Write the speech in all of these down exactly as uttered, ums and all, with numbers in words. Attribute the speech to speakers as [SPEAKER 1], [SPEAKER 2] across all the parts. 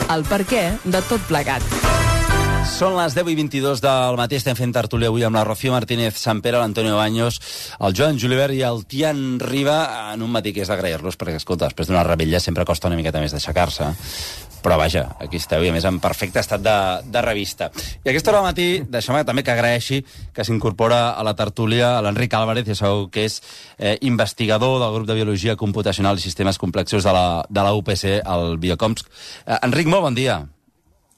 [SPEAKER 1] el perquè de tot plegat.
[SPEAKER 2] Són les deu i vint-i-dos del matí, estem fent tertúlia avui amb la Rocío Martínez Sampere, l'Antonio Baños, el Joan Julivert i el Tian Riba, en un matí que és d'agrair-los, perquè, escolta, després d'una rebella sempre costa una miqueta més d'aixecar-se. Però vaja, aquí esteu, i a més en perfecte estat de, de revista. I a aquesta hora del matí, deixeu-me també que agraeixi que s'incorpora a la tertúlia l'Enric Álvarez, ja sabeu que és eh, investigador del grup de Biologia Computacional i Sistemes Complexos de la, de la U P C, el Biocomps. Eh, Enric, molt bon dia.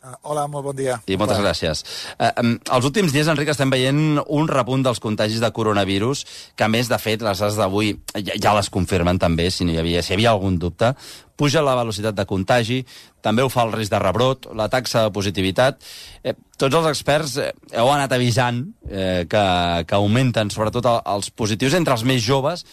[SPEAKER 3] Uh, hola, molt bon dia.
[SPEAKER 2] I moltes Hola. gràcies. Uh, um, els últims dies, Enric, estem veient un repunt dels contagis de coronavirus, que a més, de fet, les dades d'avui ja, ja les confirmen també, si no hi havia, si hi havia algun dubte. Puja la velocitat de contagi, també ho fa el risc de rebrot, la taxa de positivitat. Eh, tots els experts eh, heu anat avisant eh, que, que augmenten, sobretot, els positius entre els més joves,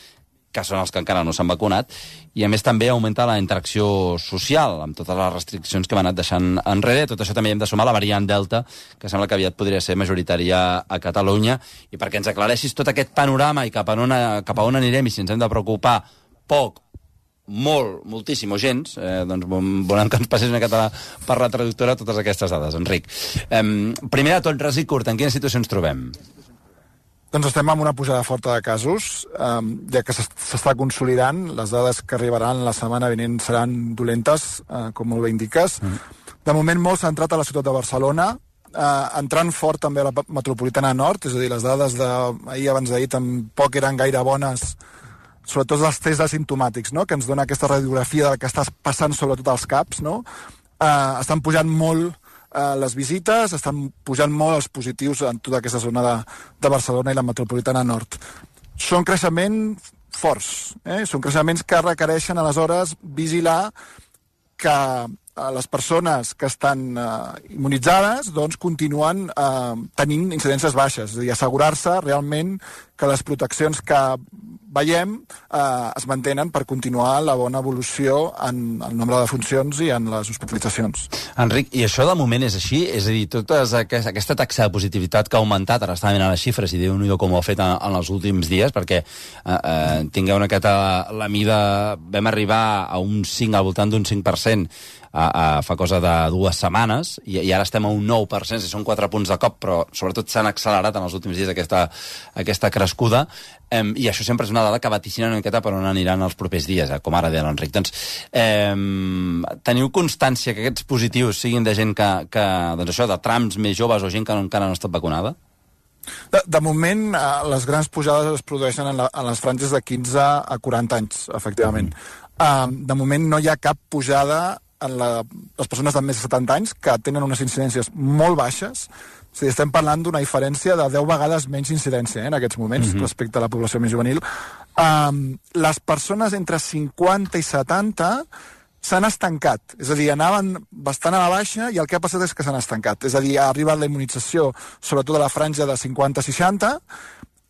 [SPEAKER 2] que són els que encara no s'han vacunat, i a més també augmenta la interacció social, amb totes les restriccions que hem anat deixant enrere. Tot això també hem de sumar la variant Delta, que sembla que aviat podria ser majoritària a Catalunya, i perquè ens aclareixis tot aquest panorama i cap a on, cap a on anirem i si ens hem de preocupar poc, molt, moltíssim o gens, eh, doncs volem que ens passis una miqueta per la traductora totes aquestes dades, Enric. Eh, primer de tot, res i curt, en quina situació ens trobem?
[SPEAKER 3] Doncs estem amb una pujada forta de casos, eh, ja que s'està consolidant. Les dades que arribaran la setmana vinent seran dolentes, eh, com molt bé indiques. Mm. De moment molt centrat a la ciutat de Barcelona, eh, entrant fort també a la metropolitana nord, és a dir, les dades d'ahir abans d'ahir tampoc eren gaire bones, sobretot els tests asimptomàtics, no?, que ens dona aquesta radiografia del que està passant sobretot als caps, no? Eh, estan pujant molt les visites, estan pujant molt els positius en tota aquesta zona de, de Barcelona i la metropolitana nord. Són creixements forts, eh? Són creixements que requereixen aleshores vigilar que les persones que estan eh, immunitzades doncs continuen eh, tenint incidències baixes, és a dir, assegurar-se realment que les proteccions que veiem eh, es mantenen per continuar la bona evolució en el nombre de funcions i en les hospitalitzacions.
[SPEAKER 2] Enric, i això de moment és així? És a dir, tota aquesta taxa de positivitat que ha augmentat, ara estava mirant les xifres i Déu-n'hi-do com ho ha fet en, en els últims dies, perquè eh, eh, tingueu una miqueta la mida, vam arribar a un cinc, al voltant d'un cinc per cent a, a, fa cosa de dues setmanes, i, i ara estem a un nou per cent, si són quatre punts de cop, però sobretot s'han accelerat en els últims dies aquesta, aquesta crescuda, um, i això sempre és una dada que vaticina una miqueta per on aniran els propers dies, eh, com ara deia l'Enric. Doncs, um, teniu constància que aquests positius siguin de gent que, que doncs això, de trams més joves o gent que encara no ha estat vacunada?
[SPEAKER 3] De, de moment, eh, les grans pujades es produeixen en, la, en les franges de quinze a quaranta anys, efectivament. Mm. Uh, de moment no hi ha cap pujada en la, les persones de més de setanta anys, que tenen unes incidències molt baixes. És a dir, estem parlant d'una diferència de deu vegades menys incidència eh, en aquests moments, mm-hmm. respecte a la població més juvenil. Um, les persones entre cinquanta i setanta s'han estancat, és a dir, anaven bastant a la baixa i el que ha passat és que s'han estancat. És a dir, ha arribat la immunització, sobretot a la franja de cinquanta a seixanta,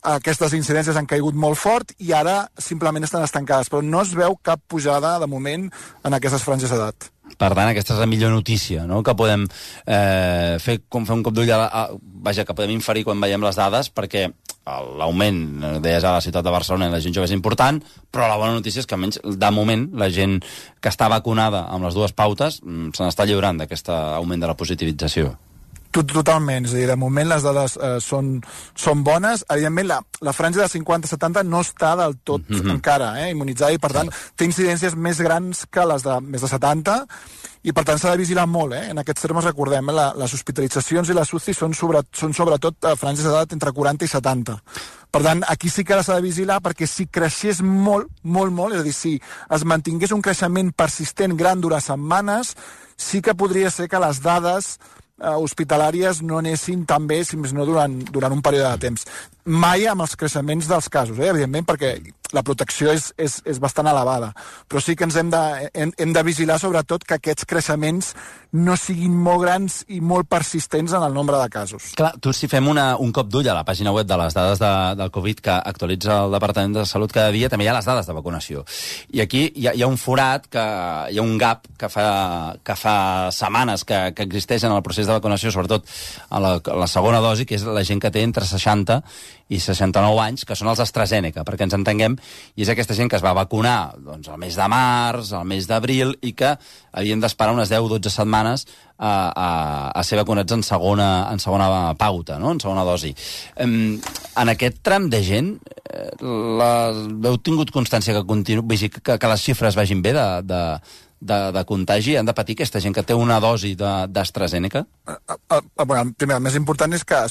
[SPEAKER 3] aquestes incidències han caigut molt fort i ara simplement estan estancades, però no es veu cap pujada de moment en aquestes franges d'edat.
[SPEAKER 2] Per tant, aquesta és la millor notícia, no?, que podem eh, fer, com fer un cop d'ull a, a, vaja, que podem inferir quan veiem les dades, perquè l'augment, deies, a la ciutat de Barcelona i la gent jove és important, però la bona notícia és que almenys de moment la gent que està vacunada amb les dues pautes se n'està lliurant d'aquest augment de la positivització.
[SPEAKER 3] Totalment, és a dir, de moment les dades eh, són, són bones. Evidentment, la, la franja de cinquanta a setanta no està del tot mm-hmm. encara eh, immunitzada i, per tant, té incidències més grans que les de més de setanta i, per tant, s'ha de vigilar molt. Eh? En aquests termes, recordem, eh, la, les hospitalitzacions i les U C I són, sobre, són sobretot a franges d'edat entre quaranta i setanta. Per tant, aquí sí que s'ha de vigilar perquè si creixés molt, molt, molt, és a dir, si es mantingués un creixement persistent gran durant setmanes, sí que podria ser que les dades Uh, hospitalàries no anessin tan bé, si més no, durant, durant un període de temps. Mai amb els creixements dels casos, eh? Evidentment, perquè la protecció és, és, és bastant elevada. Però sí que ens hem de, hem, hem de vigilar, sobretot, que aquests creixements no siguin molt grans i molt persistents en el nombre de casos.
[SPEAKER 2] Clar, tu si fem una, un cop d'ull a la pàgina web de les dades de, del Covid que actualitza el Departament de Salut cada dia, també hi ha les dades de vacunació. I aquí hi ha, hi ha un forat, que, hi ha un gap que fa, que fa setmanes que, que existeix en el procés de vacunació, sobretot a la, a la segona dosi, que és la gent que té entre seixanta i seixanta-nou anys, que són els AstraZeneca, perquè ens entenguem, i és aquesta gent que es va vacunar doncs, al mes de març, al mes d'abril, i que havien d'esperar unes deu o dotze setmanes a, a, a ser vacunats en segona, en segona pauta, no? En segona dosi. En, en aquest tram de gent, la, heu tingut constància que, continu, que, que les xifres vagin bé de, de, de, de contagi? Han de patir aquesta gent que té una dosi d'AstraZeneca?
[SPEAKER 3] Bueno, primer, el més important és que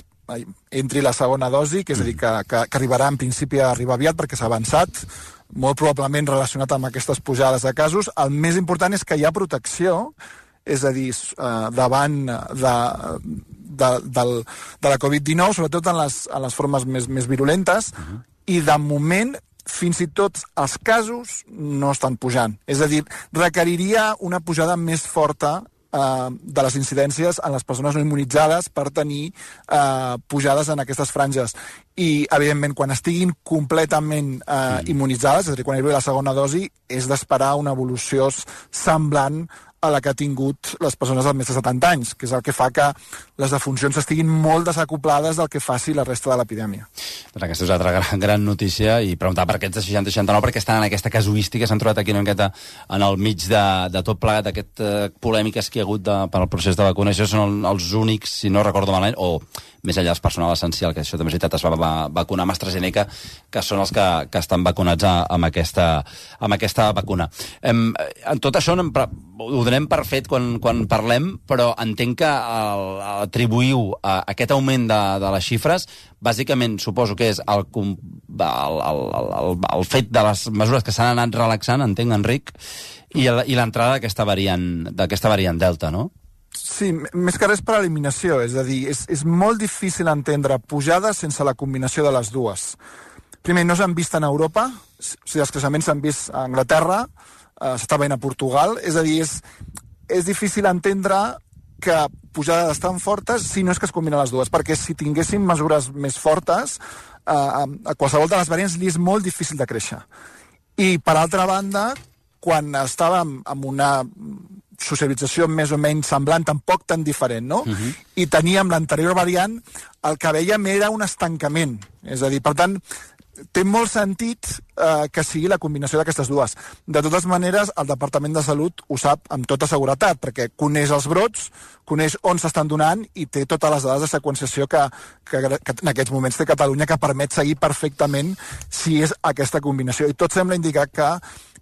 [SPEAKER 3] entri la segona dosi, que és a dir, que, que, que arribarà en principi a arribar aviat perquè s'ha avançat, molt probablement relacionat amb aquestes pujades de casos. El més important és que hi ha protecció, és a dir, davant de, de, de, de la covid dinou, sobretot en les, en les formes més, més virulentes, uh-huh. I de moment fins i tot els casos no estan pujant. És a dir, requeriria una pujada més forta eh, de les incidències en les persones no immunitzades per tenir eh, pujades en aquestes franges. I, evidentment, quan estiguin completament eh, mm. immunitzades, és a dir, quan arribi la segona dosi, és d'esperar una evolució semblant a la que ha tingut les persones de més de setanta anys, que és el que fa que les defuncions estiguin molt desacoplades del que faci la resta de l'epidèmia.
[SPEAKER 2] Doncs aquesta és altra gran, gran notícia, i preguntar per aquests de seixanta seixanta-nou, perquè estan en aquesta casuística, s'han trobat aquí una miqueta en el mig de, de tot plegat, d'aquest uh, polèmiques que hi ha hagut de, per al procés de vacunació. Són els únics, si no recordo malament, o més enllà del personal essencial, que això també és veritat, es va, va vacunar amb AstraZeneca, que són els que, que estan vacunats a, amb, aquesta, amb aquesta vacuna. Em, en tot això em, ho donem per fet quan, quan parlem, però entenc que el, atribuïu a aquest augment de, de les xifres, bàsicament suposo que és el, el, el, el, el fet de les mesures que s'han anat relaxant, entenc, Enric, i, i l'entrada d'aquesta variant, d'aquesta variant Delta, no?
[SPEAKER 3] Sí, més que res per eliminació, és a dir, és, és molt difícil entendre pujades sense la combinació de les dues. Primer, no s'han vist en Europa, o sigui, els creixements s'han vist a Anglaterra, eh, s'està veient a Portugal, és a dir, és, és difícil entendre que pujades tan fortes si no és que es combinen les dues, perquè si tinguéssim mesures més fortes, eh, a qualsevol de les variants li és molt difícil de créixer. I, per altra banda, quan estàvem amb una socialització més o menys semblant, tampoc tan diferent, no? Uh-huh. I teníem l'anterior variant, el que veiem era un estancament. És a dir, per tant, té molt sentit eh, que sigui la combinació d'aquestes dues. De totes maneres, el Departament de Salut ho sap amb tota seguretat, perquè coneix els brots, coneix on s'estan donant i té totes les dades de seqüenciació que, que, que en aquests moments té Catalunya, que permet seguir perfectament si és aquesta combinació. I tot sembla indicar que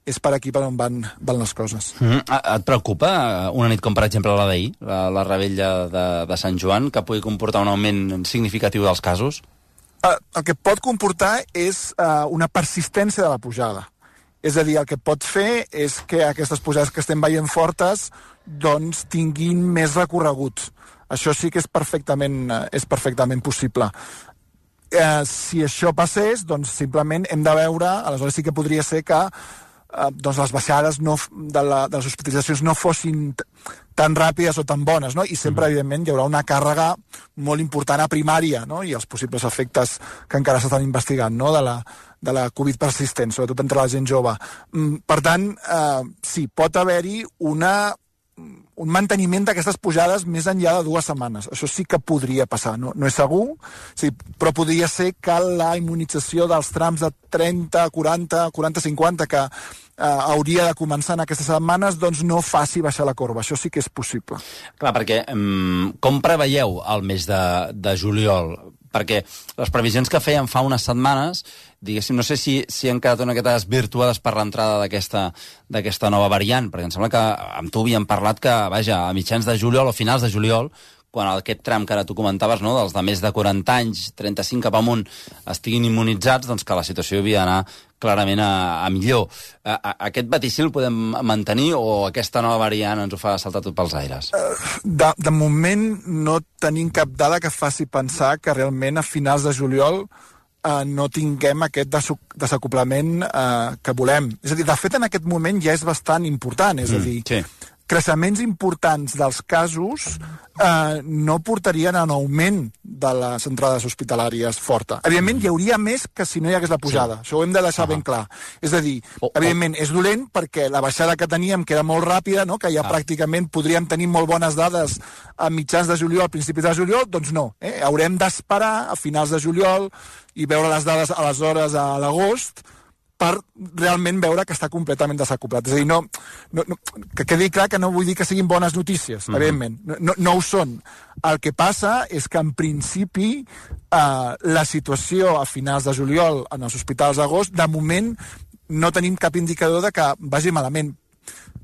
[SPEAKER 3] és per aquí per on van, van les coses.
[SPEAKER 2] Mm-hmm. Et preocupa una nit com, per exemple, la d'ahir, la, la rebella de, de Sant Joan, que pugui comportar un augment significatiu dels casos?
[SPEAKER 3] Uh, el que pot comportar és uh, una persistència de la pujada. És a dir, el que pot fer és que aquestes pujades que estem veient fortes doncs tinguin més recorregut. Això sí que és perfectament, uh, és perfectament possible. Uh, si això passés, doncs simplement hem de veure, aleshores sí que podria ser que Uh, doncs les baixades no, de, la, de les hospitalitzacions no fossin t- tan ràpides o tan bones, no? I sempre, mm. evidentment, hi haurà una càrrega molt important a primària, no? I els possibles efectes que encara s'estan investigant, no? De la, de la Covid persistent, sobretot entre la gent jove. Mm, per tant, uh, sí, pot haver-hi una un manteniment d'aquestes pujades més enllà de dues setmanes. Això sí que podria passar, no, no és segur, sí, però podria ser que la immunització dels trams de trenta, quaranta, quaranta, cinquanta que eh, hauria de començar en aquestes setmanes, doncs no faci baixar la corba. Això sí que és possible.
[SPEAKER 2] Clar, perquè um, com preveieu el mes de, de juliol? Perquè les previsions que feien fa unes setmanes, diguéssim, no sé si, si han quedat una miqueta desvirtuades per l'entrada d'aquesta d'aquesta nova variant, perquè em sembla que amb tu havíem parlat que, vaja, a mitjans de juliol o finals de juliol, quan aquest tram que ara tu comentaves, no, dels de més de quaranta anys, trenta-cinc cap amunt, estiguin immunitzats, doncs que la situació havia d'anar clarament a, a millor. A, a, aquest vaticil el podem mantenir o aquesta nova variant ens ho fa saltar tot pels aires?
[SPEAKER 3] De, de moment no tenim cap dada que faci pensar que realment a finals de juliol eh, no tinguem aquest desacoplament eh, que volem. És a dir, de fet, en aquest moment ja és bastant important. És a dir, mm, sí. creixements importants dels casos eh, no portarien a un augment de les entrades hospitalàries forta. Evidentment, hi hauria més que si no hi hagués la pujada. Sí. Això ho hem de deixar uh -huh. ben clar. És a dir, oh, evidentment, oh. és dolent perquè la baixada que teníem, que era molt ràpida, no? que ja ah. pràcticament podríem tenir molt bones dades a mitjans de juliol, a principis de juliol, doncs no. Eh? Haurem d'esperar a finals de juliol i veure les dades aleshores a l'agost per realment veure que està completament desacoplat. És a dir, no, no, no, que quedi clar que no vull dir que siguin bones notícies, mm-hmm. evidentment. No, no, no ho són. El que passa és que, en principi, eh, la situació a finals de juliol en els hospitals d'agost, de moment, no tenim cap indicador de que vagi malament.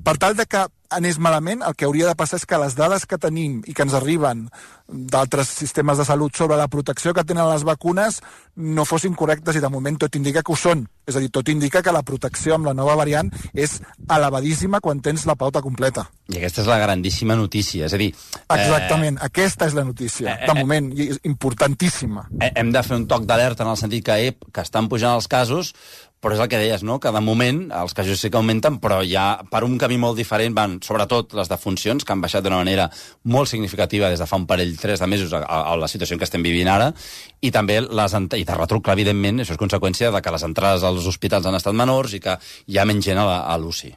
[SPEAKER 3] Per tal de que anés malament, el que hauria de passar és que les dades que tenim i que ens arriben d'altres sistemes de salut sobre la protecció que tenen les vacunes no fossin correctes, i de moment tot indica que ho són. És a dir, tot indica que la protecció amb la nova variant és elevadíssima quan tens la pauta completa.
[SPEAKER 2] I aquesta és la grandíssima notícia. És a dir...
[SPEAKER 3] Exactament, eh... aquesta és la notícia, eh, de moment, i és importantíssima.
[SPEAKER 2] Eh, hem de fer un toc d'alerta en el sentit que, ep, que estan pujant els casos, però és el que deies, no? Que de moment els casos sí que augmenten, però ja per un camí molt diferent van, sobretot, les defuncions, que han baixat d'una manera molt significativa des de fa un parell, tres de mesos, a, a la situació que estem vivint ara, i també les i de retruc, evidentment, això és conseqüència de que les entrades als hospitals han estat menors i que hi ha menys gent a, a l'U C I.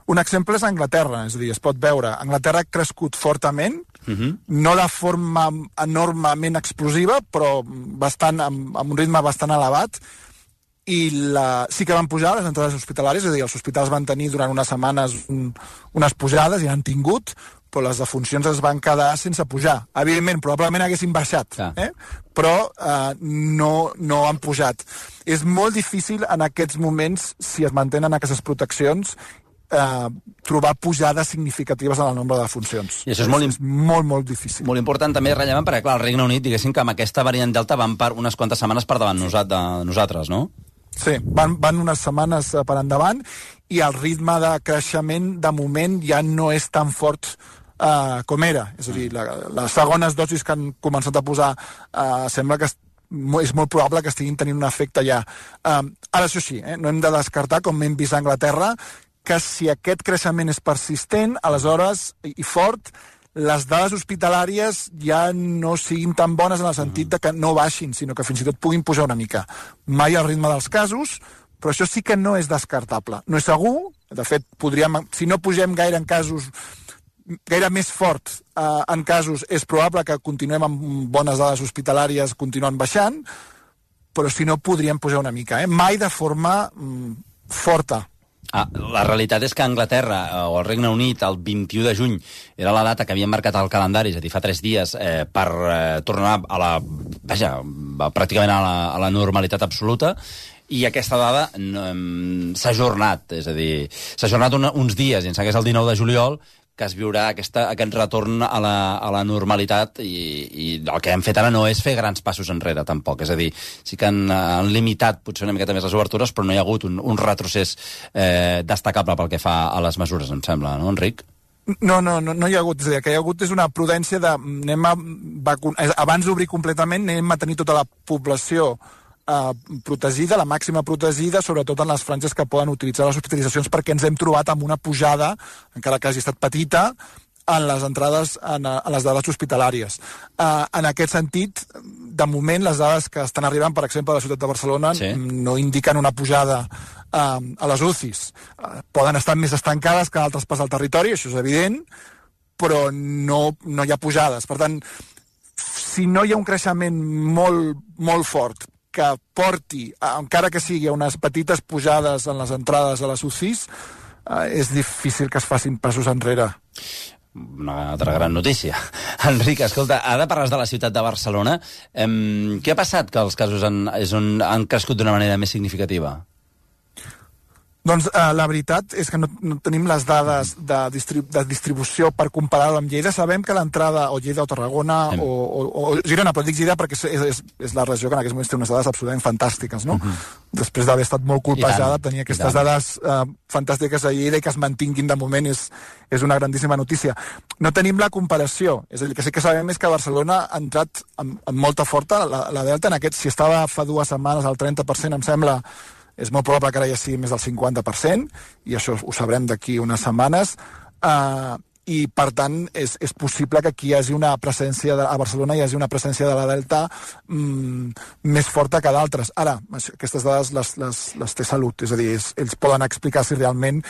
[SPEAKER 3] Un exemple és Anglaterra, és a dir, es pot veure. Anglaterra ha crescut fortament, uh-huh. no de forma enormement explosiva, però bastant, amb, amb un ritme bastant elevat, i la, sí que van pujar les entrades hospitalàries, és a dir, els hospitals van tenir durant unes setmanes un, unes pujades, i han tingut, però les defuncions es van quedar sense pujar. Evidentment, probablement haguessin baixat, ah. eh? però eh, no, no han pujat. És molt difícil en aquests moments, si es mantenen aquestes proteccions, eh, trobar pujades significatives en el nombre de defuncions.
[SPEAKER 2] I això és, molt,
[SPEAKER 3] és molt, molt difícil.
[SPEAKER 2] Molt important, també rellevant, perquè clar, el Regne Unit, diguéssim que amb aquesta variant Delta van per unes quantes setmanes per davant de nosaltres, no?
[SPEAKER 3] Sí, van, van unes setmanes per endavant, i el ritme de creixement de moment ja no és tan fort uh, com era. És a dir, la, les segones dosis que han començat a posar uh, sembla que és molt probable que estiguin tenint un efecte ja. Uh, ara, això sí, eh, no hem de descartar, com hem vist a Anglaterra, que si aquest creixement és persistent, aleshores, i, i fort, les dades hospitalàries ja no siguin tan bones en el sentit de que no baixin, sinó que fins i tot puguin pujar una mica. Mai al ritme dels casos, però això sí que no és descartable. No és segur, de fet, podríem, si no pugem gaire en casos, gaire més fort eh, en casos, és probable que continuem amb bones dades hospitalàries continuant baixant, però si no podríem pujar una mica, eh? Mai de forma mm, forta.
[SPEAKER 2] Ah, la realitat és que a Anglaterra o al Regne Unit el vint-i-u de juny era la data que havien marcat al calendari, és a dir, fa tres dies, eh, per eh, tornar a la, vaja, pràcticament a la, a la normalitat absoluta, i aquesta dada no, s'ha ajornat, és a dir, s'ha ajornat un, uns dies, i em sembla que és el dinou de juliol, que es viurà aquesta, aquest retorn a la, a la normalitat, i, i el que hem fet ara no és fer grans passos enrere, tampoc. És a dir, sí que han, han limitat potser una miqueta més les obertures, però no hi ha hagut un, un retrocés eh, destacable pel que fa a les mesures, em sembla, no, Enric?
[SPEAKER 3] No, no, no, no hi ha hagut. És a dir, que hi ha hagut és una prudència de anem a vacunar, abans d'obrir completament anem a tenir tota la població Uh, protegida, la màxima protegida, sobretot en les franges que poden utilitzar les hospitalitzacions, perquè ens hem trobat amb una pujada, encara que hagi estat petita, en les entrades en, en les dades hospitalàries. Uh, en aquest sentit, de moment, les dades que estan arribant, per exemple, a la ciutat de Barcelona, sí. no indiquen una pujada uh, a les U C Is. Uh, poden estar més estancades que a altres parts del territori, això és evident, però no, no hi ha pujades. Per tant, si no hi ha un creixement molt, molt fort, que porti, encara que sigui a unes petites pujades en les entrades a les U C Is, eh, és difícil que es facin passos enrere.
[SPEAKER 2] Una altra gran notícia. Enric, escolta, ara parles de la ciutat de Barcelona. Eh, què ha passat que els casos han, és on han crescut d'una manera més significativa?
[SPEAKER 3] Doncs eh, la veritat és que no, no tenim les dades de, distrib de distribució per comparar-ho amb Lleida. Sabem que l'entrada, o Lleida o Tarragona, o, o, o Girona, però dic Lleida perquè és, és, és la regió que en aquests moments té unes dades absolutament fantàstiques, no? Uh-huh. Després d'haver estat molt colpejada, tenir aquestes dades eh, fantàstiques a Lleida i que es mantinguin de moment és, és una grandíssima notícia. No tenim la comparació, és a dir, que sí que sabem és que Barcelona ha entrat amb, amb molta forta, la, la Delta, en aquest, si estava fa dues setmanes al trenta per cent, em sembla, és molt probable que ara ja sigui més del cinquanta per cent, i això ho sabrem d'aquí unes setmanes. Uh, i per tant és, és possible que aquí hi hagi una presència de, a Barcelona hi hagi una presència de la Delta mm, més forta que d'altres. Ara, això, aquestes dades les, les, les té Salut, és a dir, és, ells poden explicar si realment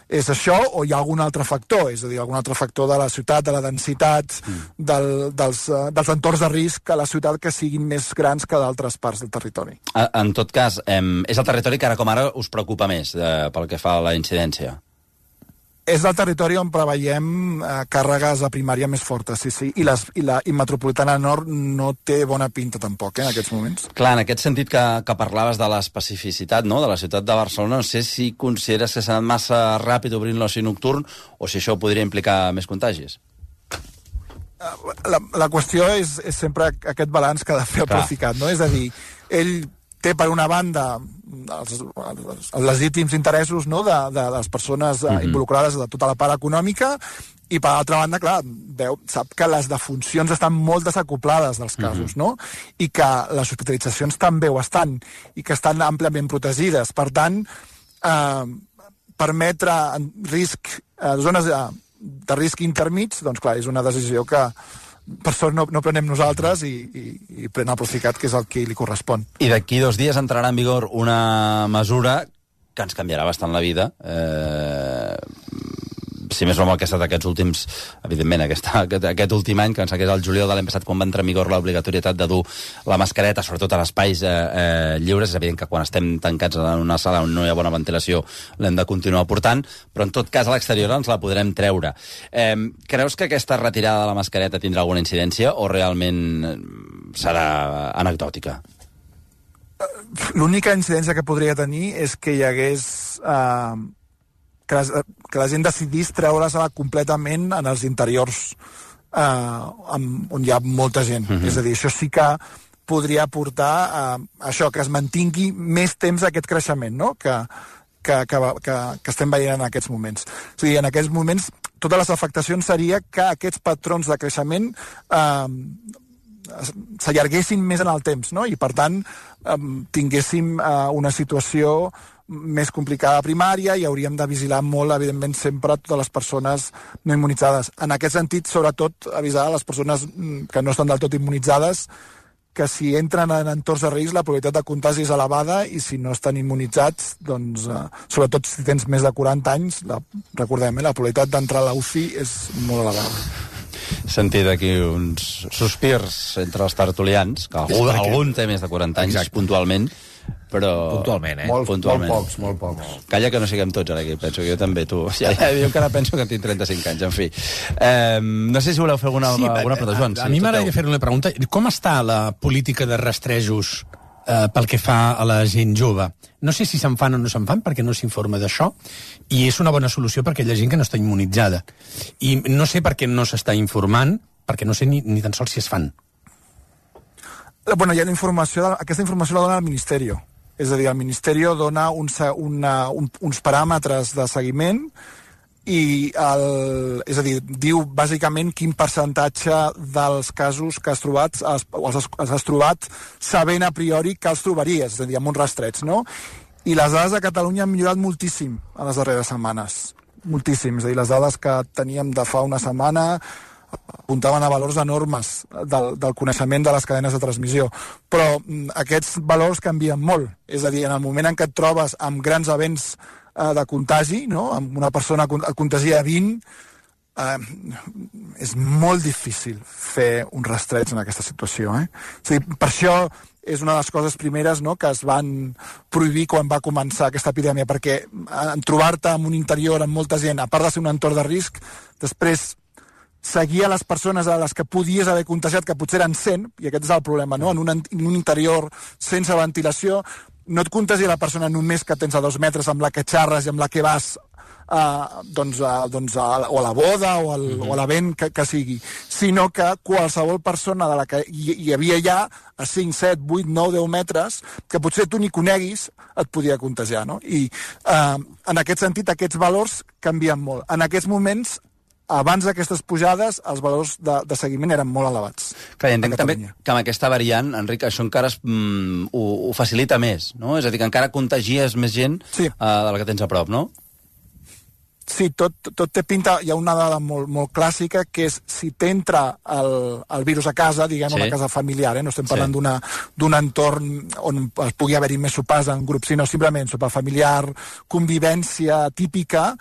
[SPEAKER 3] és això o hi ha algun altre factor, és a dir, algun altre factor de la ciutat, de la densitat, mm. del, dels, uh, dels entorns de risc a la ciutat que siguin més grans que d'altres parts del territori.
[SPEAKER 2] En tot cas, eh, és el territori que ara com ara us preocupa més eh, pel que fa a la incidència?
[SPEAKER 3] És el territori on preveiem eh, càrregues a primària més fortes, sí, sí. I, les, i la i Metropolitana Nord no té bona pinta tampoc, eh, en aquests moments.
[SPEAKER 2] Clar, en aquest sentit que, que parlaves de l'especificitat, no?, de la ciutat de Barcelona, no sé si consideres que s'ha anat massa ràpid obrint l'oci nocturn o si això podria implicar més contagis.
[SPEAKER 3] La, la qüestió és, és sempre aquest balanç que ha de fer el Procicat, no? És a dir, ell té per una banda els, els, els legítims interessos, no?, de, de les persones mm-hmm. involucrades de tota la part econòmica i per altra banda, clar, veu, sap que les defuncions estan molt desacoplades dels casos, mm-hmm. no? I que les hospitalitzacions també ho estan i que estan àmpliament protegides. Per tant, eh, permetre en risc, eh, zones de, de risc intermig, doncs clar, és una decisió que per sort no, no prenem nosaltres i, i, i pren el Procicat, que és el que li correspon.
[SPEAKER 2] I d'aquí dos dies entrarà en vigor una mesura que ens canviarà bastant la vida. Eh, si més no amb el que ha estat aquests últims, evidentment, aquesta, aquest, aquest últim any, que em sembla que és el juliol de l'any passat, quan va entrar en vigor l'obligatorietat de dur la mascareta, sobretot a espais eh, eh, lliures. És evident que quan estem tancats en una sala on no hi ha bona ventilació l'hem de continuar portant, però en tot cas a l'exterior ens la podrem treure. Eh, creus que aquesta retirada de la mascareta tindrà alguna incidència o realment serà anecdòtica?
[SPEAKER 3] L'única incidència que podria tenir és que hi hagués... Eh, que, les, que la gent decidís treure-se-la completament en els interiors eh, amb, on hi ha molta gent. Mm-hmm. És a dir, això sí que podria portar a això, que es mantingui més temps aquest creixement, no?, que, que, que, que, que estem veient en aquests moments. O sigui, en aquests moments, totes les afectacions seria que aquests patrons de creixement eh, s'allarguessin més en el temps, no?, i per tant eh, tinguéssim eh, una situació més complicada a primària i hauríem de vigilar molt, evidentment, sempre totes les persones no immunitzades. En aquest sentit, sobretot, avisar a les persones que no estan del tot immunitzades que si entren en entorns de risc la probabilitat de contagi és elevada i si no estan immunitzats, doncs, eh, sobretot si tens més de quaranta anys, la, recordem, eh, la probabilitat d'entrar a la U C I és molt elevada.
[SPEAKER 2] Sentit aquí uns sospirs entre els tertulians, que algú, algun té més de quaranta anys, exacte, puntualment, però...
[SPEAKER 4] Puntualment, eh?
[SPEAKER 2] Molt, puntualment.
[SPEAKER 4] Molt pocs, molt pocs.
[SPEAKER 2] Calla que no siguem tots ara aquí, penso que jo també, tu. Ja, ja diu que ara penso que tinc trenta-cinc anys, en fi. Eh, no sé si voleu fer alguna, sí, alguna pregunta, Joan.
[SPEAKER 4] A, a, a mi m'agradaria fer una pregunta. Com està la política de rastrejos eh, pel que fa a la gent jove? No sé si se'n fan o no se'n fan, perquè no s'informa d'això, i és una bona solució per aquella gent que no està immunitzada. I no sé per què no s'està informant, perquè no sé ni, ni tan sols si es fan.
[SPEAKER 3] Bueno, hi ha la informació, aquesta informació la dona el Ministeri. És a dir, el Ministeri dona un, una, un, uns paràmetres de seguiment i el, és a dir, diu bàsicament quin percentatge dels casos que has trobat els, els, els has trobat sabent a priori que els trobaries, és a dir, amb uns rastreig, no? I les dades de Catalunya han millorat moltíssim a les darreres setmanes. Moltíssim. És a dir, les dades que teníem de fa una setmana apuntaven a valors enormes del, del coneixement de les cadenes de transmissió. Però mm, aquests valors canvien molt. És a dir, en el moment en què et trobes amb grans events eh, de contagi, no?, amb una persona et contagia vint, eh, és molt difícil fer un rastreig en aquesta situació. Eh? És a dir, per això és una de les coses primeres, no?, que es van prohibir quan va començar aquesta epidèmia, perquè en trobar-te en un interior amb molta gent, a part de ser un entorn de risc, després seguir a les persones a les que podies haver contagiat, que potser eren cent, i aquest és el problema, no? En un, en un interior sense ventilació, no et contagia la persona només que tens a dos metres amb la que xarres i amb la que vas uh, doncs, uh, doncs, uh, o a la boda o, al, mm-hmm. o a l'event que, que sigui, sinó que qualsevol persona de la que hi, hi havia ja a cinc, set, vuit, nou, deu metres, que potser tu ni coneguis, et podia contagiar, no? I uh, en aquest sentit aquests valors canvien molt. En aquests moments, abans d'aquestes pujades, els valors de, de seguiment eren molt elevats.
[SPEAKER 2] Clar, entenc també que amb aquesta variant, Enric, això encara es, mm, ho, ho facilita més, no? És a dir, que encara contagies més gent sí. uh, de la que tens a prop, no?
[SPEAKER 3] Sí, tot, tot té pinta. Hi ha una dada molt, molt clàssica, que és si t'entra el, el virus a casa, diguem, sí. a una casa familiar, eh? No estem parlant sí. d'un entorn on es pugui haver-hi més sopars en grup, sinó simplement sopar familiar, convivència típica,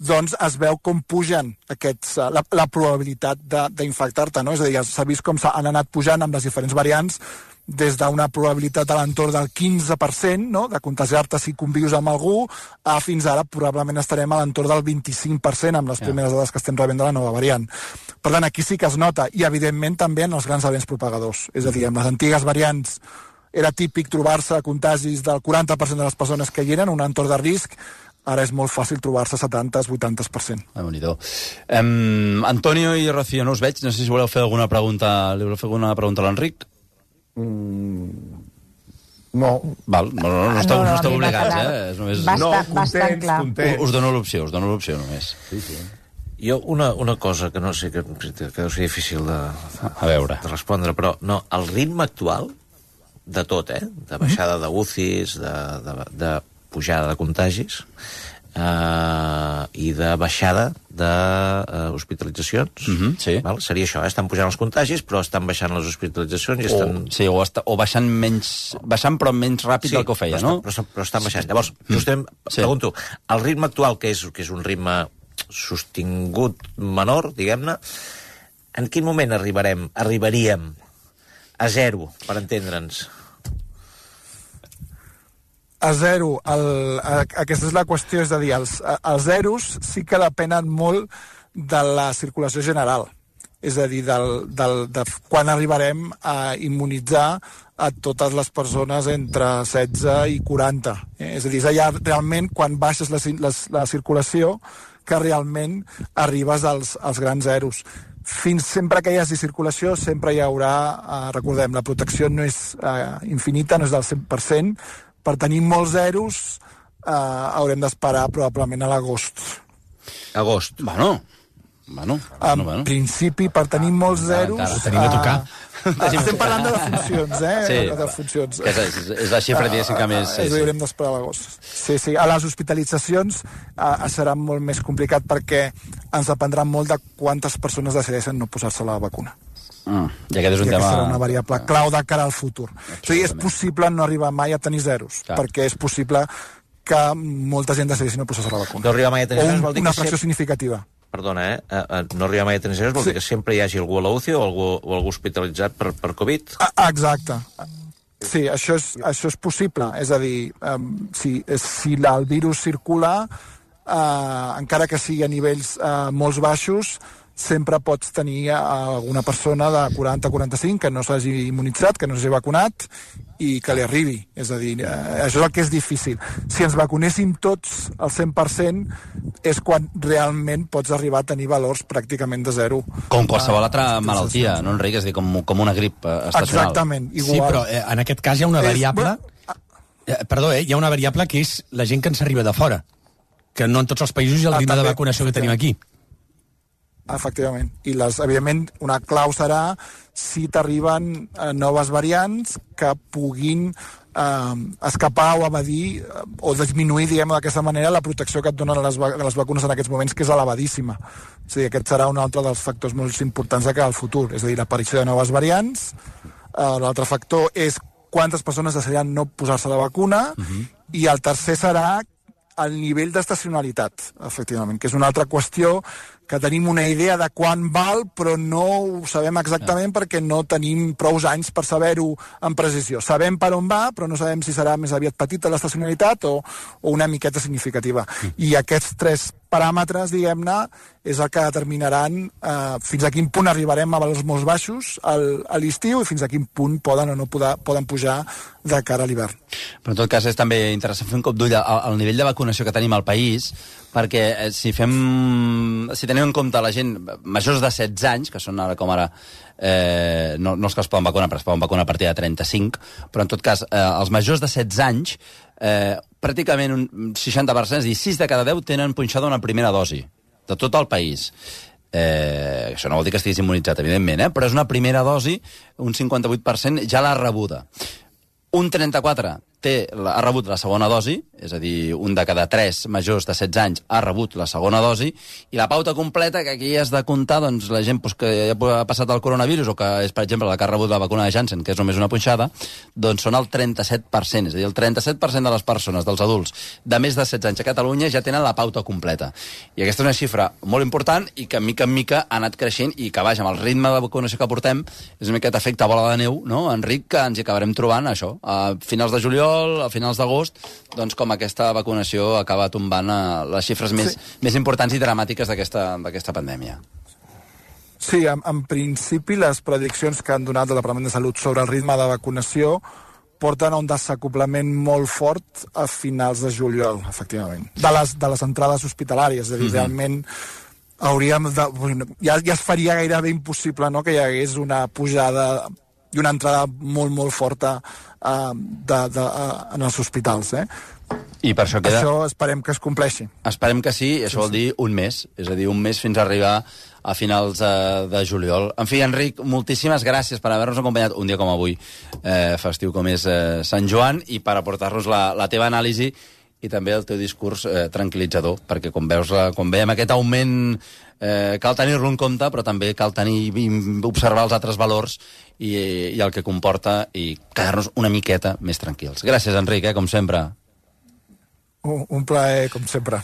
[SPEAKER 3] doncs es veu com pugen aquests, la, la probabilitat d'infectar-te, no? És a dir, s'ha vist com s'han anat pujant amb les diferents variants, des d'una probabilitat a l'entorn del quinze per cent, no?, de contagiar-te si convius amb algú, a fins ara probablement estarem a l'entorn del vint-i-cinc per cent amb les yeah. primeres dades que estem rebent de la nova variant. Per tant, aquí sí que es nota, i evidentment també en els grans events propagadors. És a dir, amb les antigues variants era típic trobar-se contagis del quaranta per cent de les persones que hi eren, un entorn de risc. Ara és molt fàcil trobar-se setanta a vuitanta per cent.
[SPEAKER 2] Ah, bonito. Um, Antonio i Rocío, no us veig. No sé si voleu fer alguna pregunta, li voleu fer alguna pregunta a l'Enric?
[SPEAKER 5] Mm, no.
[SPEAKER 2] Val, no, no, no, esteu, no, no, no esteu obligats, eh? És només...
[SPEAKER 6] Bastant,
[SPEAKER 5] no,
[SPEAKER 6] bastant
[SPEAKER 5] contents,
[SPEAKER 6] clar.
[SPEAKER 5] contents.
[SPEAKER 2] Us dono l'opció, us dono l'opció només.
[SPEAKER 5] Sí, sí.
[SPEAKER 7] Jo, una, una cosa que no sé, que, que deu ser difícil de,
[SPEAKER 2] a veure.
[SPEAKER 7] de respondre, però no, el ritme actual de tot, eh? De baixada de U C Is, de, de, de pujada de contagis, Uh, i de baixada d'hospitalitzacions, uh,
[SPEAKER 2] uh -huh, sí.
[SPEAKER 7] val? Seria això, eh? Estan pujant els contagis, però estan baixant les hospitalitzacions i estan...
[SPEAKER 2] O, sí, o, està, o baixant menys, baixant però menys ràpid sí, del que ho feia,
[SPEAKER 7] però
[SPEAKER 2] no?
[SPEAKER 7] Està, però, però estan baixant. Llavors, mm. justem, sí. pregunto, el ritme actual, que és, que és un ritme sostingut menor, diguem-ne, en quin moment arribarem, arribaríem a zero, per entendre'ns?
[SPEAKER 3] A zero, el, a, aquesta és la qüestió, és a dir, els, els zeros sí que depenen molt de la circulació general, és a dir, del, del, de quan arribarem a immunitzar a totes les persones entre setze i quaranta. Eh? És a dir, és allà realment quan baixes la, la, la circulació que realment arribes als, als grans zeros. Fins sempre que hi hagi circulació sempre hi haurà, eh, recordem, la protecció no és eh, infinita, no és del cent per cent. Per tenir molts zeros eh, haurem d'esperar probablement a l'agost.
[SPEAKER 7] Agost.
[SPEAKER 2] Bueno, bueno,
[SPEAKER 3] en
[SPEAKER 2] bueno, bueno.
[SPEAKER 3] principi, per tenir molts zeros...
[SPEAKER 4] Ho tenim a tocar.
[SPEAKER 3] Uh, estem parlant de defuncions, eh?
[SPEAKER 2] Sí,
[SPEAKER 3] de defuncions.
[SPEAKER 2] És, és, és la xifra, diguéssim, que més...
[SPEAKER 3] Sí, sí. Haurem d'esperar a l'agost. Sí, sí. A les hospitalitzacions uh, serà molt més complicat perquè ens dependrà molt de quantes persones decideixen no posar-se la vacuna.
[SPEAKER 2] Mm, I aquest és un
[SPEAKER 3] I
[SPEAKER 2] tema...
[SPEAKER 3] serà una variable clau de cara al futur. O sigui, és possible no arribar mai a tenir zeros, clar. Perquè és possible que molta gent decideixi no posar-se la vacuna.
[SPEAKER 7] No arribar mai a tenir zeros
[SPEAKER 3] o un,
[SPEAKER 7] vol dir
[SPEAKER 3] una
[SPEAKER 7] que
[SPEAKER 3] fracció
[SPEAKER 7] sempre...
[SPEAKER 3] significativa.
[SPEAKER 7] Perdona, eh? Uh, uh, no arribar mai a tenir zeros vol sí. dir que sempre hi hagi algú a la U C I o algú, o algú hospitalitzat per, per Covid?
[SPEAKER 3] Ah, exacte. Sí, això és, això és possible. És a dir, um, si, si la, el virus circula, uh, encara que sigui a nivells uh, molt baixos, sempre pots tenir alguna persona de quaranta a quaranta-cinc que no s'hagi immunitzat, que no s'hagi vacunat i que li arribi. És a dir, eh, això és el que és difícil. Si ens vacunéssim tots al cent per cent és quan realment pots arribar a tenir valors pràcticament de zero.
[SPEAKER 2] Com qualsevol altra malaltia, no, Enric? És a dir, com, com una grip estacional.
[SPEAKER 3] Exactament, igual.
[SPEAKER 4] Sí, però eh, en aquest cas hi ha una variable... Eh, perdó, eh, hi ha una variable que és la gent que ens arriba de fora, que no en tots els països hi ha el ritme de vacunació que tenim aquí.
[SPEAKER 3] Efectivament. I, les, evidentment, una clau serà si t'arriben eh, noves variants que puguin eh, escapar o evadir eh, o disminuir, diguem d'aquesta manera, la protecció que et donen les, les vacunes en aquests moments, que és elevadíssima. És a dir, aquest serà un altre dels factors molt importants de cara al futur. És a dir, l'aparició de noves variants. Eh, L'altre factor és quantes persones decidiran no posar-se la vacuna. Uh-huh. I el tercer serà el nivell d'estacionalitat, efectivament, que és una altra qüestió que tenim una idea de quan val, però no ho sabem exactament ja. Perquè no tenim prou anys per saber-ho amb precisió. Sabem per on va, però no sabem si serà més aviat petita l'estacionalitat o, o una miqueta significativa. Mm. I aquests tres paràmetres, diguem-ne, és el que determinaran eh, fins a quin punt arribarem a valors molt baixos al, a l'estiu i fins a quin punt poden o no poder, poden pujar de cara a l'hivern.
[SPEAKER 2] Però en tot cas és també interessant fer un cop d'ull al, al nivell de vacunació que tenim al país, perquè eh, si fem... si tenim en compte la gent majors de setze anys, que són ara com ara eh, no, no els que es poden vacunar, però es poden vacunar a partir de trenta-cinc, però en tot cas eh, els majors de setze anys eh, pràcticament un seixanta per cent, és a dir, sis de cada deu tenen punxada una primera dosi de tot el país. Eh, això no vol dir que estiguis immunitzat, evidentment, eh? Però és una primera dosi, un cinquanta-vuit per cent ja l'ha rebuda. Un trenta-quatre té, ha rebut la segona dosi, és a dir, un de cada tres majors de setze anys ha rebut la segona dosi, i la pauta completa, que aquí has de comptar doncs, la gent doncs, que ja ha passat el coronavirus o que és, per exemple, la que ha rebut la vacuna de Janssen, que és només una punxada, doncs són el trenta-set per cent. És a dir, el trenta-set per cent de les persones, dels adults de més de setze anys a Catalunya ja tenen la pauta completa. I aquesta és una xifra molt important i que, mica en mica, ha anat creixent i que, vaja, amb el ritme de vacunació que portem, és una miqueta efecte bola de neu, no, Enric, que ens hi acabarem trobant, això, a finals de juliol, a finals d'agost, doncs com aquesta vacunació acaba tombant a les xifres més, sí. més importants i dramàtiques d'aquesta pandèmia.
[SPEAKER 3] Sí, en, en principi les prediccions que han donat el Departament de Salut sobre el ritme de vacunació porten a un desacoplament molt fort a finals de juliol, efectivament, de les, de les entrades hospitalàries. És a dir, mm-hmm. realment hauríem de... Ja, ja es faria gairebé impossible, no?, que hi hagués una pujada i una entrada molt, molt forta uh, de, de, uh, en els hospitals, eh?
[SPEAKER 2] I per això queda...
[SPEAKER 3] Això esperem que es compleixi.
[SPEAKER 2] Esperem que sí, i això sí, vol dir un mes, és a dir, un mes fins a arribar a finals uh, de juliol. En fi, Enric, moltíssimes gràcies per haver-nos acompanyat un dia com avui, eh, festiu com és eh, Sant Joan, i per aportar-nos la, la teva anàlisi i també el teu discurs eh, tranquil·litzador, perquè com veus, la, com veiem aquest augment, eh, cal tenir-lo en compte, però també cal tenir, observar els altres valors i, i el que comporta i quedar-nos una miqueta més tranquils. Gràcies, Enric, eh, com sempre.
[SPEAKER 3] Un, un plaer, com sempre.